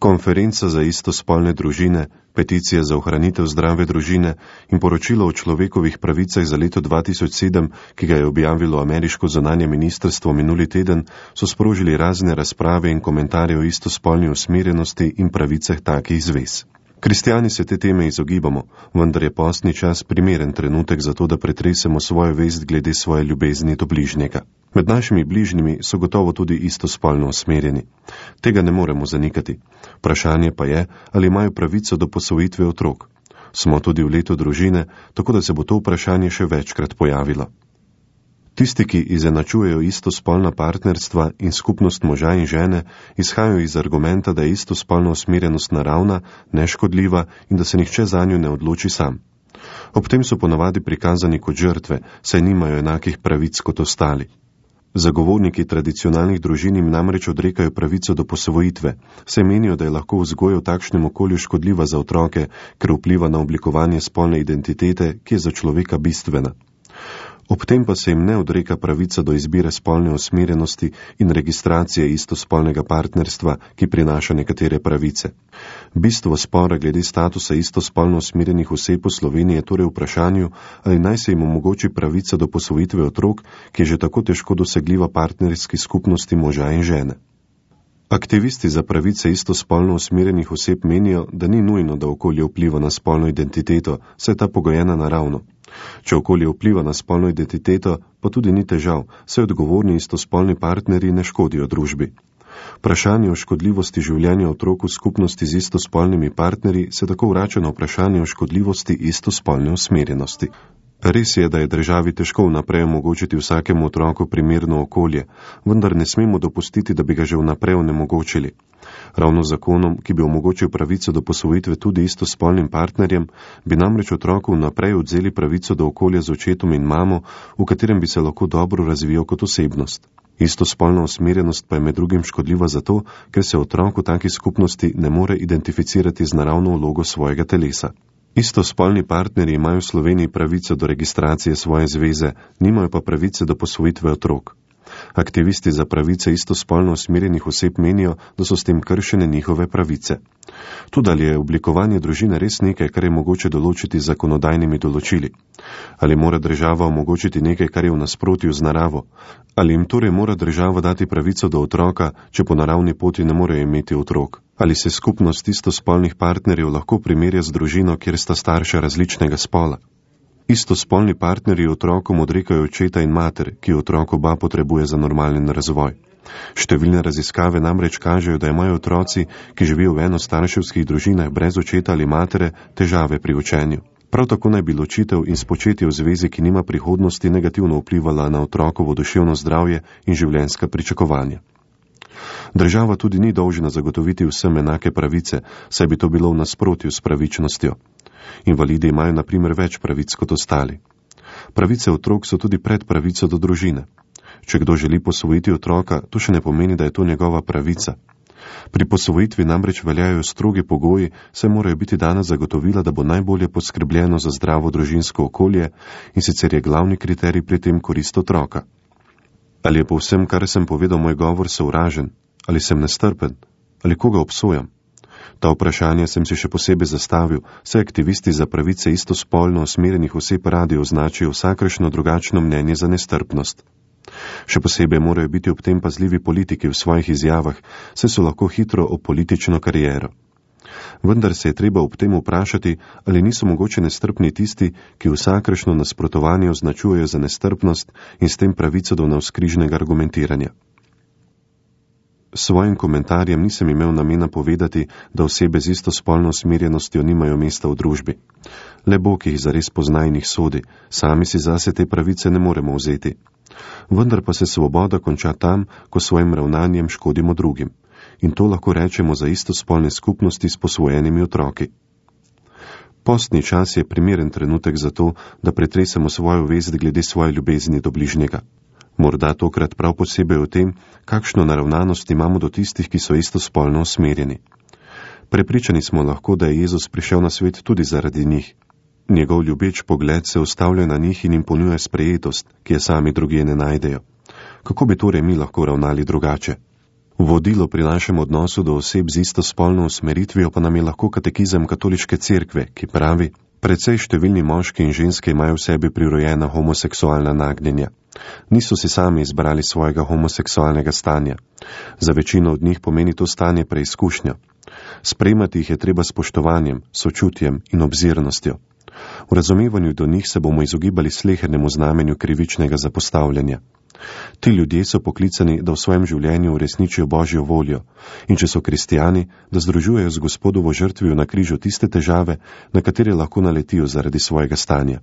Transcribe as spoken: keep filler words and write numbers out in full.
Konferenca za istospolne družine, peticija za ohranitev zdrave družine in poročilo o človekovih pravicah za leto dva tisoč sedem, ki ga je objavilo ameriško zunanje ministrstvo minuli teden, so sprožili razne razprave in komentarje o istospolni usmerjenosti in pravicah takih zvez. Kristjani se te teme izogibamo, vendar je postni čas primeren trenutek za to, da pretresemo svojo vest glede svoje ljubezni do bližnjega. Med našimi bližnjimi so gotovo tudi istospolno usmerjeni. Tega ne moremo zanikati. Vprašanje pa je, ali imajo pravico do posvojitve otrok. Smo tudi v letu družine, tako da se bo to vprašanje še večkrat pojavilo. Tisti, ki izenačujejo istospolna partnerstva in skupnost moža in žene, izhajajo iz argumenta, da je istospolna usmerjenost naravna, neškodljiva in da se nihče zanjo ne odloči sam. Ob tem so ponavadi prikazani kot žrtve, saj nimajo enakih pravic kot ostali. Zagovorniki tradicionalnih družin jim namreč odrekajo pravico do posvojitve, saj menijo, da je lahko vzgoja v takšnem okolju škodljiva za otroke, ker vpliva na oblikovanje spolne identitete, ki je za človeka bistvena. Ob tem pa se jim ne odreka pravica do izbire spolne usmerjenosti in registracije istospolnega partnerstva, ki prinaša nekatere pravice. Bistvo spora glede statusa istospolno usmerjenih oseb v Sloveniji je torej v vprašanju, ali naj se jim omogoči pravica do posvojitve otrok, ki je že tako težko dosegljiva partnerski skupnosti moža in žene. Aktivisti za pravice istospolno usmerjenih oseb menijo, da ni nujno, da okolje vpliva na spolno identiteto, saj je ta pogojena naravno. Če okolje vpliva na spolno identiteto, pa tudi ni težav, saj odgovorni istospolni partnerji ne škodijo družbi. Vprašanje o škodljivosti življenja otrok v skupnosti z istospolnimi partnerji se tako vrača na vprašanje o škodljivosti istospolne usmerjenosti. Res je, da je državi težko vnaprej omogočiti vsakemu otroku primerno okolje, vendar ne smemo dopustiti, da bi ga že vnaprej onemogočili. Ravno zakonom, ki bi omogočil pravico do posvojitve tudi istospolnim partnerjem, bi namreč otroku vnaprej odzeli pravico do okolja z očetom in mamo, v katerem bi se lahko dobro razvijal kot osebnost. Istospolna usmerjenost pa je med drugim škodljiva zato, ker se otrok v taki skupnosti ne more identificirati z naravno vlogo svojega telesa. Istospolni partnerji imajo v Sloveniji pravico do registracije svoje zveze, nimajo pa pravice do posvojitve otrok. Aktivisti za pravice istospolno usmerjenih oseb menijo, da so s tem kršene njihove pravice. Tudi ali je oblikovanje družine res nekaj, kar je mogoče določiti z zakonodajnimi določili? Ali mora država omogočiti nekaj, kar je v nasprotju z naravo? Ali jim torej mora država dati pravico do otroka, če po naravni poti ne morejo imeti otrok? Ali se skupnost istospolnih partnerjev lahko primerja z družino, kjer sta starša različnega spola? Istospolni partnerji otrokom odrekajo očeta in mater, ki otrok oba potrebuje za normalen razvoj. Številne raziskave namreč kažejo, da imajo otroci, ki živijo v enostarševskih družinah brez očeta ali matere, težave pri učenju. Prav tako naj bi ločitev in spočetje v zvezi, ki nima prihodnosti, negativno vplivala na otrokovo duševno zdravje in življenjska pričakovanja. Država tudi ni dolžna zagotoviti vsem enake pravice, saj bi to bilo v nasprotju s pravičnostjo. Invalidi imajo na primer več pravic kot ostali. Pravice otrok so tudi pred pravico do družine. Če kdo želi posvojiti otroka, to še ne pomeni, da je to njegova pravica. Pri posvojitvi namreč veljajo strogi pogoji, saj morajo biti dana zagotovila, da bo najbolje poskrbljeno za zdravo družinsko okolje, in sicer je glavni kriterij pri tem korist otroka. Ali je po vsem, kar sem povedal, moj govor sovražen? Ali sem nestrpen? Ali koga obsojam? Ta vprašanja sem si še posebej zastavil, saj aktivisti za pravice istospolno usmerjenih oseb radi označijo vsakršno drugačno mnenje za nestrpnost. Še posebej morajo biti ob tem pazljivi politiki v svojih izjavah, saj so lahko hitro o politično kariero. Vendar se je treba ob tem vprašati, ali niso mogoče nestrpni tisti, ki vsakršno nasprotovanje označujejo za nestrpnost in s tem pravico do navzkrižnega argumentiranja. S svojim komentarjem nisem imel namena povedati, da osebe z istospolno usmerjenostjo nimajo mesta v družbi. Le Bog jih zares pozna in jih sodi, sami si zase te pravice ne moremo vzeti. Vendar pa se svoboda konča tam, ko svojim ravnanjem škodimo drugim. In to lahko rečemo za istospolne skupnosti s posvojenimi otroki. Postni čas je primeren trenutek za to, da pretresemo svojo vest glede svoje ljubezni do bližnjega. Morda tokrat prav posebej o tem, kakšno naravnanost imamo do tistih, ki so istospolno usmerjeni. Prepričani smo lahko, da je Jezus prišel na svet tudi zaradi njih. Njegov ljubeč pogled se ustavlja na njih in jim ponuja sprejetost, ki je sami drugje ne najdejo. Kako bi torej mi lahko ravnali drugače? Vodilo pri našem odnosu do oseb z istospolno usmeritvijo pa nam je lahko katekizem katoliške cerkve, ki pravi: precej številni moški in ženske imajo v sebi prirojena homoseksualna nagnjenja. Niso si sami izbrali svojega homoseksualnega stanja. Za večino od njih pomeni to stanje preizkušnja. Sprejemati jih je treba s spoštovanjem, sočutjem in obzirnostjo. V razumevanju do njih se bomo izogibali slehernemu znamenju krivičnega zapostavljanja. Ti ljudje so poklicani, da v svojem življenju uresničijo Božjo voljo, in če so kristijani, da združujejo z Gospodovo žrtvijo na križu tiste težave, na katere lahko naletijo zaradi svojega stanja.